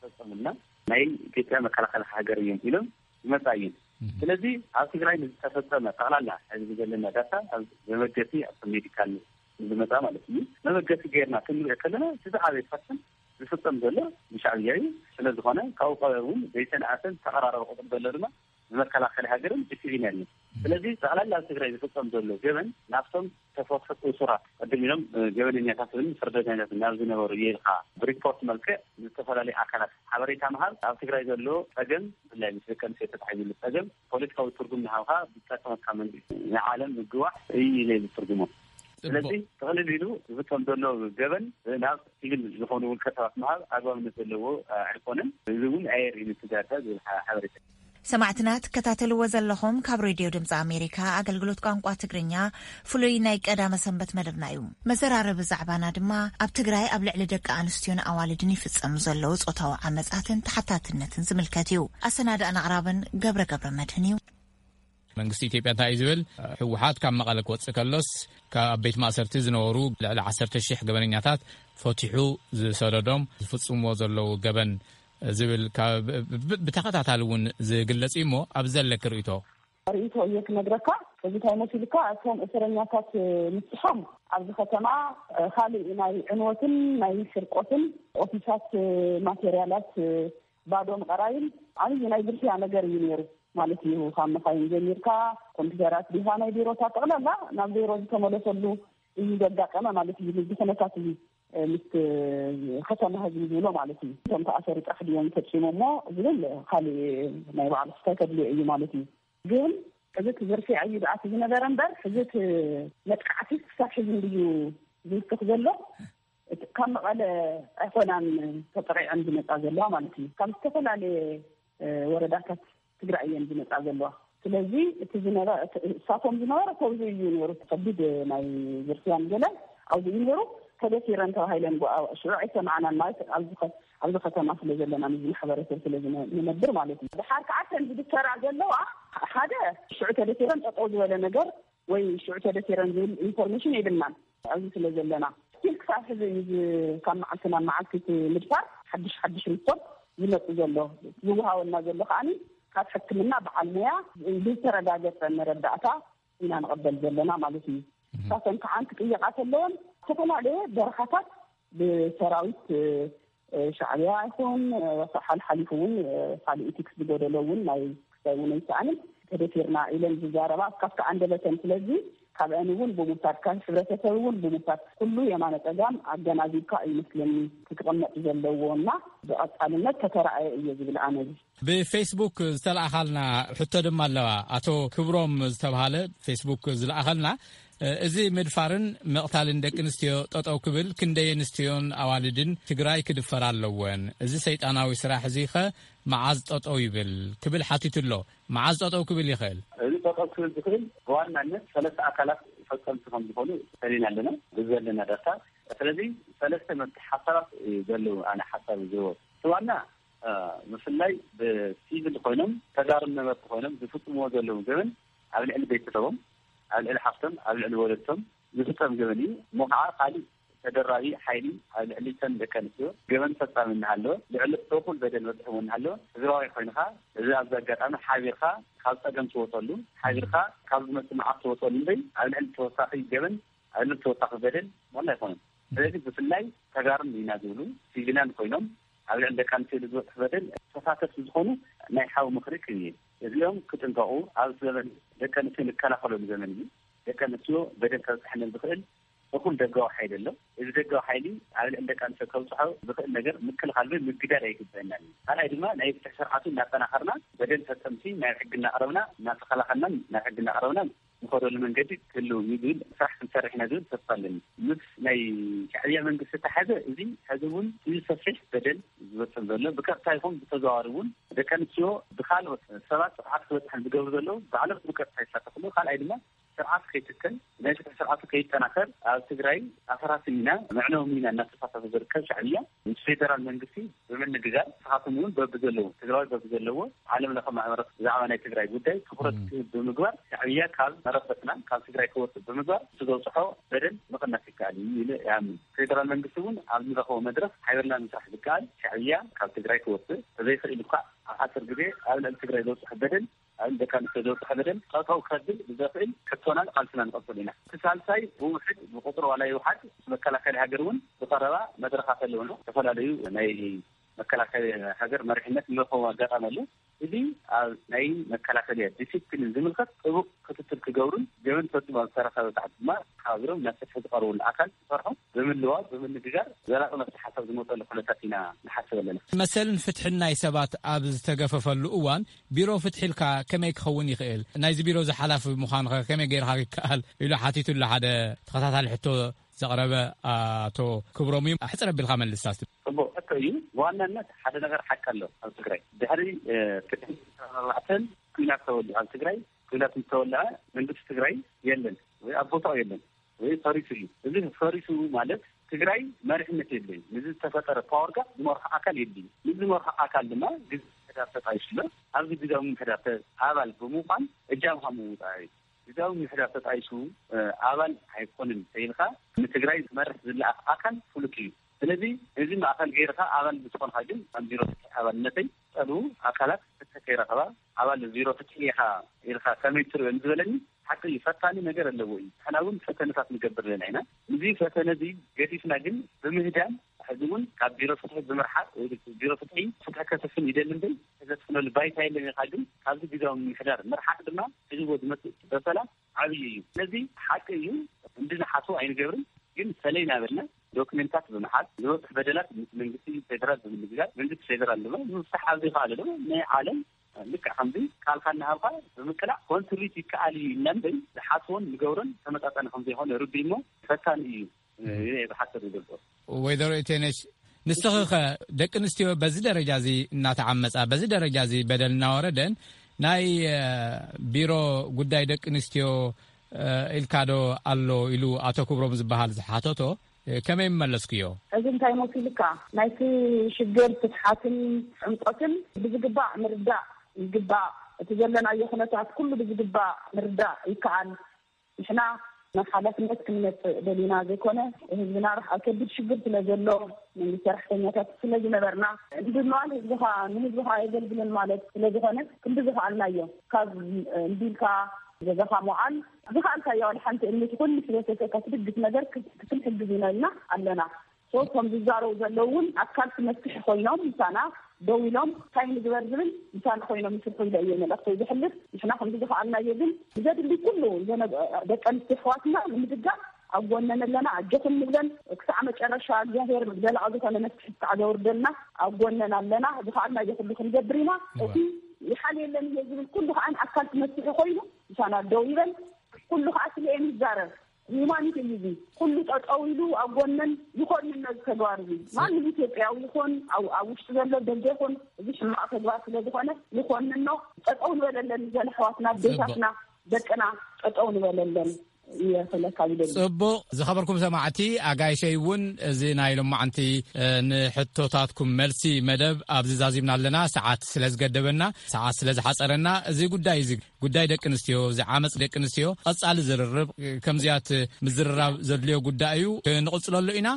ፈፀሙልና ናይ ኢትዮጵያ መከላኸሊ ሃገር እዮም ኢሎም ይመፃ እየን። ስለዚ ኣብ ትግራይ ንዝተፈፀመ ጠቕላላ ሕዚ ዘለና ዳታ ኣብ መበገሲ ኣብ ሜዲካል ዝመፃ ማለት እዩ። መበገሲ ገይርና ክንሪኦ ከለና እቲ ዝዓበየ ፐርሰንት ዝፍፀም ዘሎ ብሻዕብያ እዩ። ስለዝኾነ ካብኡ እውን ዘይተነኣሰን ዝተቐራረበ ቁፅሪ ዘሎ ድማ ብመከላኸሊ ሃገርን ብሲቪልያን እዩ። ስለዚ ጠቕላላ ኣብ ትግራይ ዝፍፀም ዘሎ ገበን ናብቶም ተፈትሑ እሱራት ቅድም ኢሎም ገበነኛታት እውን ፍርደኛታት ናብ ዝነበሩ የልካ ብሪፖርት መልክዕ ዝተፈላለዩ ኣካላት ሓበሬታ ምሃብ ኣብ ትግራይ ዘሎ ፀገም ብፍላይ ምስ ደቂ ኣንስትዮ ተታሒዙ ዘሎ ፀገም ፖለቲካዊ ትርጉም ንሃብካ ብዝጠቀመካ መንግስቲ ንዓለም ምግዋሕ እዩ ኢለ ዝትርጉሞ። ስለዚ ተቕልል ኢሉ ዝፍፀም ዘሎ ገበን ናብ ሲቪል ዝኾኑ ውልቀ ሰባት ምሃብ ኣግባብነት ዘለዎ ኣይኮነን። እዚ እውን ኣየርእይን እቲ ዳታ ዝብል ሓበሬታ። ሰማዕትና ትከታተልዎ ዘለኹም ካብ ሬድዮ ድምፂ ኣሜሪካ ኣገልግሎት ቋንቋ ትግርኛ ፍሉይ ናይ ቀዳመ ሰንበት መደብና እዩ። መዘራረቢ ዛዕባና ድማ ኣብ ትግራይ ኣብ ልዕሊ ደቂ ኣንስትዮን ኣዋልድን ይፍፀሙ ዘለዉ ፆታዊ ዓመፃትን ተሓታትነትን ዝምልከት እዩ። ኣሰናዳእን ኣቕራብን ገብረ ገብረ መድህን እዩ። መንግስቲ ኢትዮጵያ እንታይ እዩ ዝብል? ህወሓት ካብ መቐለ ክወፅእ ከሎስ ካብ ቤት ማእሰርቲ ዝነበሩ ልዕሊ ዓሰርተ ሺሕ ገበነኛታት ፈቲሑ ዝሰደዶም ዝፍፅምዎ ዘለዉ ገበን ዝብል ብተኸታታሊ እውን ዝግለፅ እዩ እሞ ኣብዚ ዘለኪ ርእይቶ? ርእይቶ እየ ክነግረካ። እዚ እንታይ መሲልካ እቶም እስረኛታት ምስሕም ኣብዚ ከተማ ካልእ ናይ ዕንወትን ናይ ስርቆትን ኦፊሳት ማቴርያላት ባዶ ምቕራይን ዓብዪ ናይ ግርፍያ ነገር እዩ ነይሩ ማለት እዩ። ካብ መኻይን ጀሚርካ ኮምፒተራት ዲኻ ናይ ቢሮታት ጠቕላላ ናብ ዜሮ ዝተመለሰሉ እዩ ዘጋጠመ ማለት እዩ። ንዚ ኩነታት እዚ ምስ ከተማ ህዝቢ ዝብሎ ማለት እዩ። እቶም ተኣሰሩ ጥራሕ ድዮም ፈፂሞሞ ዝብል ካልእ ናይ ባዕሉ ክስታይ ከድልዮ እዩ ማለት እዩ። ግን እዚ እቲ ዝርፍያ እዩ ዝኣቲ ዝነበረ እምበር ሕዚ እቲ መጥቃዕቲ ክሳብ ሕዚ እንድዩ ዝውስኽ ዘሎ። ካብ መቐለ ኣይኮናን ተጠቂዐን ዝመፃ ዘለዋ ማለት እዩ። ካብ ዝተፈላለየ ወረዳታት ትግራይ እየን ዝመፃ ዘለዋ። ስለዚ እቲ ዝነበ እሳቶም ዝነበረ ከብዚ እዩ ነሩ። ከቢድ ናይ ዝርፍያን ገለን ኣብዚ እዩ ነሩ። ተደፊረን ተባሂለን ሽዑ ኣይሰማዕናን ማለት ኣብዚ ከተማ ስለ ዘለና ምስ ማሕበረሰብ ስለ ዝነብር ማለት እዩ። ድሓር ከዓ ተን ዝድፈራ ዘለዋ ሓደ ሽዑ ተደፊረን ጠጠው ዝበለ ነገር ወይ ሽዑ ተደፊረን ዝብል ኢንፎርሜሽን የብልናን ኣብዚ ስለ ዘለና ስቲል ክሳብ ሕዚ እዩ ካብ መዓልቲ ናብ መዓልቲ ምድፋር ሓድሽ ሓድሽ ሪፖርት ዝመፁ ዘሎ። ዝወሃበና ዘሎ ከዓኒ ካብ ሕክምና በዓል ሙያ ብዝተረጋገፀ መረዳእታ ኢና ንቐበል ዘለና ማለት እዩ። እሳተን ከዓ ክጥየቃ ከለወን ዝተፈላለየ በረኻታት ብሰራዊት ሻዕብያ ይኹን ሓልሓሊፉ እውን ካልእ ኢቲክስ ዝጎደሎ እውን ናይ ክስታይ እውን ኣይሰኣንን። ተደፊርና ኢለን ዝዛረባ ካብቲ ኣንደበተን ስለዚ ካብአን እውን ብሙሳድ ካብ ሕብረተሰብ እውን ብሙሳድ ኩሉ የማነ ፀጋም ኣገናዚብካ እዩ መስለኒ ክቅመጥ ዘለዎ እና ብቐፃልነት ተተረኣየ እየ ዝብል ኣነ። ብፌስቡክ ዝተለኣኻልና ሕቶ ድማ ኣለዋ። ኣቶ ክብሮም ዝተብሃለ ፌስቡክ ዝለኣኸልና፣ እዚ ምድፋርን ምቕታልን ደቂ ኣንስትዮ ጠጠው ክብል ክንደይ ኣንስትዮን ኣዋልድን ትግራይ ክድፈራ ኣለወን? እዚ ሰይጣናዊ ስራሕ እዚኸ መዓዝ ጠጠው ይብል ክብል ሓቲቱ ኣሎ። መዓዝ ጠጠው ክብል ይኽእል? እዚ ጠጠው ክብል ዝኽእል ብዋናነት ሰለስተ ኣካላት ፈጸምቲ ከም ዝኾኑ ሰሊና ኣለና ብዘለና ዳታ። ስለዚ ሰለስተ መፍትሒ ሓሳባት እዩ ዘለዉ። ኣነ ሓሳብ ዝህቦ እቲ ዋና፣ እ፣ ብፍላይ ብሲቪል ኮይኖም ተጋሩ ነበርቲ ኮይኖም ዝፍጽምዎ ዘለዉ ገበን ኣብ ልዕሊ ቤተሰቦም፣ ኣብ ልዕሊ ሓፍቶም፣ ኣብ ልዕሊ ወለድቶም ዝፍጸም ገበን እዩ። እሞ ከዓ ካልእ ተደራቢ ሓይሊ ኣብ ልዕሊ እተን ደቂ ኣንስትዮ ገበን ፈጻሚ እናሃለወ፣ ልዕሊ እኹል በደል በጺሕዎ እናሃለወ፣ ስድራዊ ኮይንካ፣ እዚ ኣብዚ ኣጋጣሚ ሓቢርካ ካብ ጸገም ትወጸሉ፣ ሓቢርካ ካብ ዝመጽእ መዓት ትወጸሉ እምበይ፣ ኣብ ልዕሊ ተወሳኺ ገበን፣ ኣብ ልዕሊ ተወሳኺ በደል ዋላ ኣይኮነን። ስለዚ ብፍላይ ተጋሩን ኢና ዝብሉ ሲቪላን ኮይኖም ኣብ ልዕሊ ደቂ ኣንስትዮ ዝበጽሕ በደል ተሳተፍቲ ዝኾኑ ናይ ሓው ምኽሪ ክህብ እየ። እዚኦም ክጥንቀቑ፣ ኣብ ዘመን ደቂ ኣንስትዮ ንከላኸለሉ ዘመን እዩ። ደቂ ኣንስትዮ በደል ከብጽሐለን ዝኽእል እኹል ደጋዊ ሓይሊ ኣሎ። እዚ ደጋዊ ሓይሊ ኣብ ልዕሊ ደቂ ኣንስትዮ ከብጽሖ ዝኽእል ነገር ምክልኻል ወይ ምግዳል ኣይግበአናን እዩ። ካልኣይ ድማ ናይ ፍትሒ ስርዓቱ እናጠናኸርና በደል ፈጸምቲ ናብ ሕጊ እናቕረብና፣ እናተኸላኸልናን ናብ ሕጊ እናቕረብናን ንኸደሉ መንገዲ ክህልው እዩ ዝብል ስራሕ ክንሰርሕ ኢና ዝብል ተስፋ ኣለኒ። ምስ ናይ ሻዕብያ መንግስቲ ተሓዘ እዚ ሕዚ እውን እዚ ሰፊሕ በደል ዝበፅም ዘሎ ብቀጥታ ይኹን ብተዘዋዋሪ እውን ደቂ ኣንስትዮ ብካልኦት ሰባት ጥቕዓት ክበፅሐን ዝገብሩ ዘለዉ ባዕሎም ብቀጥታ ይሳተፍሉ። ካልኣይ ድማ ስርዓት ከይትከል ናይ ፍትሒ ስርዓቱ ከይጠናኸር ኣብ ትግራይ ኣፈራሲ ሚና መዕነዊ ሚና እናተሳተፈ ዝርከብ ሻዕብያ ምስ ፌደራል መንግስቲ ብምንግጋር ንስኻትኩም እውን በብዘለዎ ትግራዋይ በብዘለዎ ዓለም ለኸ ማሕበረሰብ ብዛዕባ ናይ ትግራይ ጉዳይ ትኩረት ክህብ ብምግባር ሻዕብያ ካብ መረበትና ካብ ትግራይ ክወፅእ ብምግባር እቲ ዘብፅሖ በደል ምቕናስ ይከኣል እዩ ኢለ ይኣምን። ፌደራል መንግስቲ እውን ኣብ ዝረኸቦ መድረክ ሓቢርና ምስራሕ ዝከኣል ሻዕብያ ካብ ትግራይ ክወፅእ ተዘይኽእል እኳ ኣብ ሓፂር ግዜ ኣብ ልዕሊ ትግራይ ዘብፅሖ በደል ኣብ ደቂ ኣንስትዮ ዘብፅሐ በደል ጠጠው ከብል ብዘኽእል ሕቶናን ቃልስና ንቐፅል ኢና። እቲ ሳልሳይ ብውሕድ ብቁፅሪ ዋላ ይውሓድ ምስ መከላከሊ ሃገር እውን ብቐረባ መድረኻት ኣለውና። ዝተፈላለዩ ናይ መከላከሊ ሃገር መሪሕነት ንረኸቦ ኣጋጣሚ ኣሎ። እዚ ኣብ ናይ መከላከሊ ዲሲፕሊን ዝምልከት ጥቡቅ ክትትል ክገብሩን ገበን ፈፂሙ ኣብ ዝተረኸበ ሰዓት ድማ ሓቢሮም ናብ ፍትሒ ዝቐርብሉ ኣካል ክሰርሑ ብምልዋጥ ብምንግጋር ዘላቂ መፍትሒ ሓሳብ ዝመፀሉ ኩነታት ኢና ንሓስብ ኣለና። መሰልን ፍትሕን ናይ ሰባት ኣብ ዝተገፈፈሉ እዋን ቢሮ ፍትሒ ኢልካ ከመይ ክኸውን ይኽእል? ናይዚ ቢሮ እዚ ሓላፊ ምዃንኸ ከመይ ገይርካ ይከኣል? ኢሉ ሓቲቱሉ ሓደ ተኸታታሊ ሕቶ ዘቕረበ ኣቶ ክብሮም እዩ። ኣሕፅር ኣቢልካ መልስ እስቲ። ጽቡቕ ሕቶ እዩ። ብዋናነት ሓደ ነገር ሓቂ ኣሎ ኣብ ትግራይ። ድሕሪ፣ እ፣ ክልተ ሺሕ ኣርባዕተ ኩናት ተወሊዑ ኣብ ትግራይ፣ ኩናት ምስ ተወልዐ መንግስቲ ትግራይ የለን ወይ ኣብ ቦታኡ የለን ወይ ፈሪሱ እዩ። እዚ ፈሪሱ ማለት ትግራይ መሪሕነት የድልዮን። ንዚ ዝተፈጠረ ፓወር ጋፕ ዝመርሖ ኣካል የድልዩ። ንዚ ዝመርሖ ኣካል ድማ ግዜ ምሕዳር ተጣይሹ ኣሎ። ኣብዚ ግዜ ምሕዳር ተ-፣ ኣባል ብምዃን እጃምካ ምውፃእ እዩ። ግዜ ምሕዳር ተጣይሹ፣ እ፣ ኣባል ኣይኮንን ተይልካ ንትግራይ ዝመርሕ ዝለኣኽ ኣካል ፍሉጥ እዩ። ስለዚ እዚ ማእኸል ገይርካ ኣባል ምስ ኮንካ ግን ኣብ ቢሮ ፍትሒ ኣባልነተይ ዝጠልቡ ኣካላት ፍትሒ ከይረኸባ ኣባል ቢሮ ፍትሒ ኢኻ ኢልካ ከመይ ትርእዮ ንዝበለኒ ሓቂ እዩ። ፈታኒ ነገር ኣለዎ እዩ። ንሕና እውን ፈተነታት ንገብር ዘለና ኢና። እዚ ፈተነ እዚ ገዲፍና ግን ብምህዳን ሕዚ እውን ካብ ቢሮ ፍትሒ ብምርሓቕ ወይ ቢሮ ፍትሒ ፍትሒ ከሰፍን ይደሊ እምበር ከሰፍነሉ ባይታ የለን ኢልካ ግን ካብዚ ግዜያዊ ምምሕዳር ምርሓቕ ድማ ሒዝዎ ዝመፅእ በሰላ ዓብዪ እዩ። ስለዚ ሓቂ እዩ እንድንሓስቦ ኣይንገብርን፣ ግን ሰለይ እናበልና ዶክሜንታት ብምሓዝ ዝበፅሕ በደላት ምስ መንግስቲ ፌደራል ብምንግጋር መንግስቲ ፌደራል ድማ ንምፍታሕ ኣብ ዘይከኣለ ድማ ናይ ዓለም ልክዕ ከምዚ ቃልካ እናሃብካ ብምቅላዕ ኮንትሪት ይከኣል እዩ ኢልና እምበይ ዝሓስቦን ንገብሮን ተመጣጣኒ ከም ዘይኮነ ርዱእ እሞ ፈታኒ እዩ። እየ ዝሓስብ ይገብር። ወይዘሮ ኢቴነሽ፣ ንስኺ ኸ ደቂ ኣንስትዮ በዚ ደረጃ እዚ እናተዓመፃ፣ በዚ ደረጃ እዚ በደል እናወረደን ናይ፣ እ፣ ቢሮ ጉዳይ ደቂ ኣንስትዮ፣ እ፣ ኢልካ ዶ ኣሎ ኢሉ ኣቶ ክብሮም ዝበሃል ዝሓተቶ፣ እ፣ ከመይ መለስክዮ? እዚ እንታይ መሲልካ? ናይቲ ሽግር ስፍሓትን ዕምቆትን ብዝግባእ ምርዳእ ይግባእ። እቲ ዘለናዮ ኩነታት ኩሉ ብዝግባእ ምርዳእ ይከኣል። ንሕና ናብ ሓላፍነት ክንመጽእ ደሊና ዘይኮነ፣ ህዝብና ርሕ-፣ ኣብ ከቢድ ሽግር ስለ ዘሎ፣ መንግስቲ ሰራሕተኛታት ስለ ዝነበርና፣ እንድንዋል ህዝብኻ፣ ንህዝብኻ ኣየገልግልን ማለት ስለ ዝኾነ፣ ክንዲ ዝኸኣልናዮ፣ ካብ እንዲልካ ገዛኻ ምውዓል፣ ዝኸኣልካዮ ዋላ ሓንቲ እምኒ ትኹን፣ ንሕብረተሰብካ ትድግፍ ነገር ክስ-፣ ክትንሕግዝ ኢና ኢልና ኣለና። ሶ፣ እቶም ዝዛረቡ ዘለዉ እውን ኣካልቲ መፍትሒ ኮይኖም ምሳና ደው ኢሎም እንታይ ንግበር ዝብል ምሳና ኮይኖም ይስርሑ ኢለ እየ መልእኽተይ ዝሕልፍ። ንሕና ከምዚ ዝኸኣልናዮ ግን ብዘድሊ ኩሉ ዘነ-፣ ደቂ ኣንስትዮ ኣሕዋትና ንምድጋፍ ኣብ ጎነን ኣለና። ኣጆኹም ንብለን ክሳዕ መጨረሻ እግዚኣብሔር ዘለኣዊ ዝኾነ መፍትሒ ክሳዕ ዘውርደልና ኣብ ጎነን ኣለና። ዝኸኣልናዮ ኩሉ ክንገብር ኢና። እዋ። እቲ ይሓልየለን እየ ዝብል ኩሉ ከዓ ኣካልቲ መፍትሒ ኮይኑ ምሳና ደው ይበል። ኩሉ ከዓ ስለኤን ይዛረብ። ሂዩማኒቲ እዩ እዚ። ኩሉ ጠጠው ኢሉ ኣብ ጎነን ይኾንኖ እዚ ተግባር እዚ። ማንም ኢትዮጵያዊ ይኹን ኣብ፣ ኣብ ውሽጢ ዘሎ ደገ ይኹን እዚ ሕማቕ ተግባር ስለ ዝኾነ ይኾንኖ። ጠጠው ንበለለን ዘለ ኣሕዋትና፣ ጽቡቕ። ኣዴታትና፣ ደቅና ጠጠው ንበለለን። እየ ክብለካ ዝደሊ። ጽቡቕ። ዝኸበርኩም ሰማዕቲ ኣጋይሸይ እውን፣ እዚ ናይ ሎማዓንቲ፣ እ፣ ንሕቶታትኩም መልሲ መደብ ኣብዚ ዛዚምና ኣለና። ሰዓት ስለ ዝገደበና፣ ሰዓት ስለ ዝሓጸረና፣ እዚ ጉዳይ፣ እዚ ጉዳይ ደቂ ኣንስትዮ፣ እዚ ዓመጽ ደቂ ኣንስትዮ ቀጻሊ ዝርርብ፣ እ፣ ከምዚያት ምዝርራብ ዘድልዮ ጉዳይ እዩ። ክንቕጽለሉ ኢና።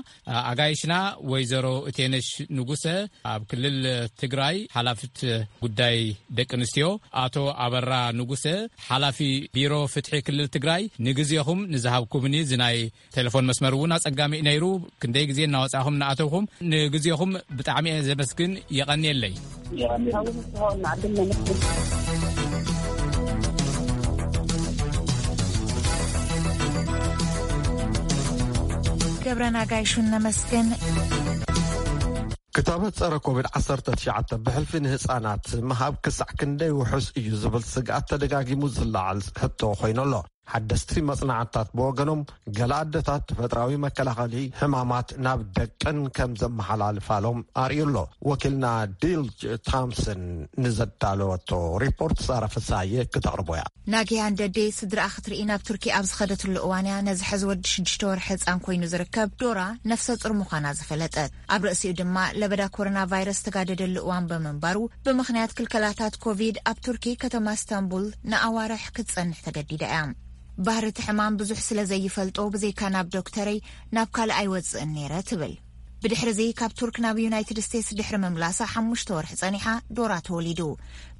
ኣጋይሽና ወይዘሮ እቴነሽ ንጉሰ ኣብ ክልል ትግራይ ሓላፊት ጉዳይ ደቂ ኣንስትዮ፣ ኣቶ ኣበራ ንጉሰ ሓላፊ ቢሮ ፍትሒ ክልል ትግራይ፣ ንግዜኹም ንዝሃብኩምኒ፣ እዚ ናይ ቴሌፎን መስመር እውን ኣጸጋሚ እዩ ነይሩ። ክንደይ ግዜ እናወጻኹም እናኣተውኩም፣ ንግዜኹም ብጣዕሚ እየ ዘመስግን። የቐንየለይ። ገብረና ጋይሹን ነመስግን። ክታበት ጸረ ኮቪድ ዓሰርተ ትሽዓተ ብሕልፊ ንህጻናት ምሃብ ክሳዕ ክንደይ ውሑስ እዩ ዝብል ስግኣት ተደጋጊሙ ዝለዓል ሕቶ ኮይኑ ኣሎ። ሓደስቲ መጽናዕትታት ብወገኖም፣ ገለ ኣደታት ተፈጥራዊ መከላኸሊ ሕማማት ናብ ደቀን ከም ዘመሓላልፋሎም ኣርእዩ ኣሎ። ወኪልና ዲል ጆ ታምሰን ንዘዳለወቶ ሪፖርት ሳራ ፍሳየ ክተቕርቦ እያ። ናጊያ እንደዴ ስድራኣ ክትርኢ ናብ ቱርኪ ኣብ ዝኸደትሉ እዋን እያ ነዚ ሕዚ ወዲ ሽዱሽተ ወርሒ ህጻን ኮይኑ ዝርከብ ዶራ ነፍሰ ጡር ምዃና ዝፈለጠት። ኣብ ርእሲኡ ድማ ለበዳ ኮሮና ቫይረስ ተጋደደሉ እዋን ብምንባሩ፣ ብምኽንያት ክልከላታት ኮቪድ ኣብ ቱርኪ ከተማ ስታንቡል ንኣዋርሕ ክትጸንሕ ተገዲዳ እያ። ባህሪ እቲ ሕማም ብዙሕ ስለ ዘይፈልጦ፣ ብዘይካ ናብ ዶክተረይ ናብ ካልእ ኣይወጽእን ነይረ ትብል። ብድሕሪ እዚ ካብ ቱርክ ናብ ዩናይትድ ስቴትስ ድሕሪ ምምላሳ ሓሙሽተ ወርሒ ጸኒሓ ዶራ ተወሊዱ።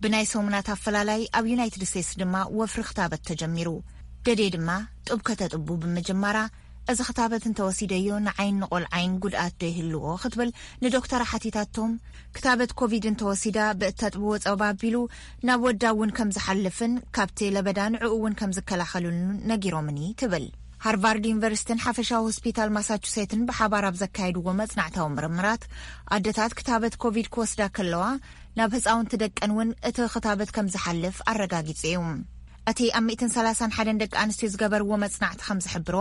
ብናይ ሰሙናት ኣፈላላይ ኣብ ዩናይትድ ስቴትስ ድማ ወፍሪ ክታበት ተጀሚሩ። ደዴ ድማ ጡብ ከተጥቡ ብምጅማራ፣ እዚ ክታበት እንተወሲደዮ ንዓይን ንቆልዓይን ጉድኣት ዶ ይህልዎ ክትብል ንዶክተራ ሓቲታቶም። ክታበት ኮቪድ እንተወሲዳ ብእተጥብዎ ጸባ ኣቢሉ ናብ ወዳ እውን ከም ዝሓልፍን ካብቲ ለበዳ ንዕኡ እውን ከም ዝከላኸሉሉን ነጊሮምኒ ትብል። ሃርቫርድ ዩኒቨርሲቲን ሓፈሻዊ ሆስፒታል ማሳቹሴትን ብሓባር ኣብ ዘካየድዎ መጽናዕታዊ ምርምራት፣ ኣደታት ክታበት ኮቪድ ክወስዳ ከለዋ ናብ ህጻውንቲ ደቀን እውን እቲ ክታበት ከም ዝሓልፍ ኣረጋጊጹ እዩ። እቲ ኣብ ሚእትን ሰላሳን ሓደን ደቂ ኣንስትዮ ዝገበርዎ መጽናዕቲ ከም ዝሕብሮ፣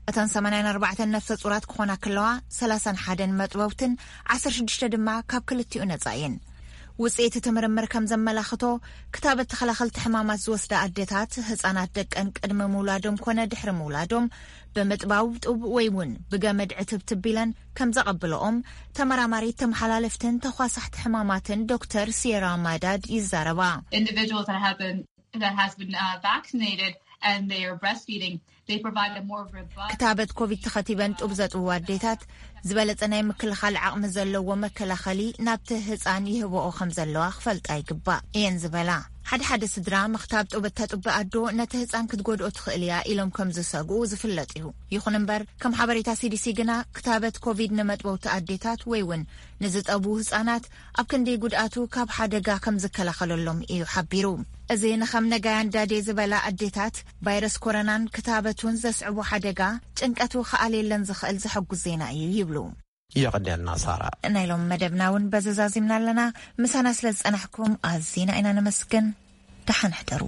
እተን ሰማንያን ኣርባዕተን ነፍሰ ጹራት ክኾና ከለዋ፣ ሰላሳን ሓደን መጥበውትን ዓሰርተ ሽዱሽተ ድማ ካብ ክልቲኡ ነጻ እየን። ውጽኢት እቲ ምርምር ከም ዘመላኽቶ፣ ክታበት ተኸላኸልቲ ሕማማት ዝወስዳ ኣደታት፣ ህጻናት ደቀን ቅድሚ ምውላዶም ኮነ ድሕሪ ምውላዶም፣ ብምጥባው ጡብ ወይ እውን ብገመድ ዕትብትብ ኢለን ከም ዘቐብለኦም፣ ተመራማሪት ተመሓላለፍትን ተኳሳሕቲ ሕማማትን ዶክተር ሲየራ ማዳድ ይዛረባ። Individuals that have been, that has been, uh, vaccinated and they are breastfeeding, they provide a more robust ክታበት ኮቪድ ተኸቲበን ጡብ ዘጥብዋ ኣዴታት ዝበለጸ ናይ ምክልኻል ዓቕሚ ዘለዎ መከላኸሊ ናብቲ ህጻን ይህብኦ ከም ዘለዋ ክፈልጣ ይግባእ እየን ዝበላ። ሓደ ሓደ ስድራ፣ ምኽታብ ጡብ እተጥቢ ኣዶ ነቲ ህጻን ክትጎድኦ ትኽእል እያ ኢሎም ከም ዝሰግኡ ዝፍለጥ እዩ። ይኹን እምበር፣ ከም ሓበሬታ ሲዲሲ ግና፣ ክታበት ኮቪድ ንመጥበውቲ ኣዴታት ወይ እውን ንዝጠቡ ህጻናት ኣብ ክንዲ ጉድኣቱ ካብ ሓደጋ ከም ዝከላኸለሎም እዩ ሓቢሩ። እዚ ንኸም ነጋያን ዳዴ ዝበላ ኣዴታት፣ ቫይረስ ኮሮናን ክታበቱን ዘስዕቦ ሓደጋ ጭንቀቱ ክኣልየለን ዝኽእል ዘሐጉስ ዜና እዩ ይብሉ። የቐንየልና ሳራ። ናይ ሎም መደብና እውን በዚ ዛዚምና ኣለና። ምሳና ስለ ዝጸናሕኩም ኣዚና ኢና ነመስግን። ደሓን ሕደሩ።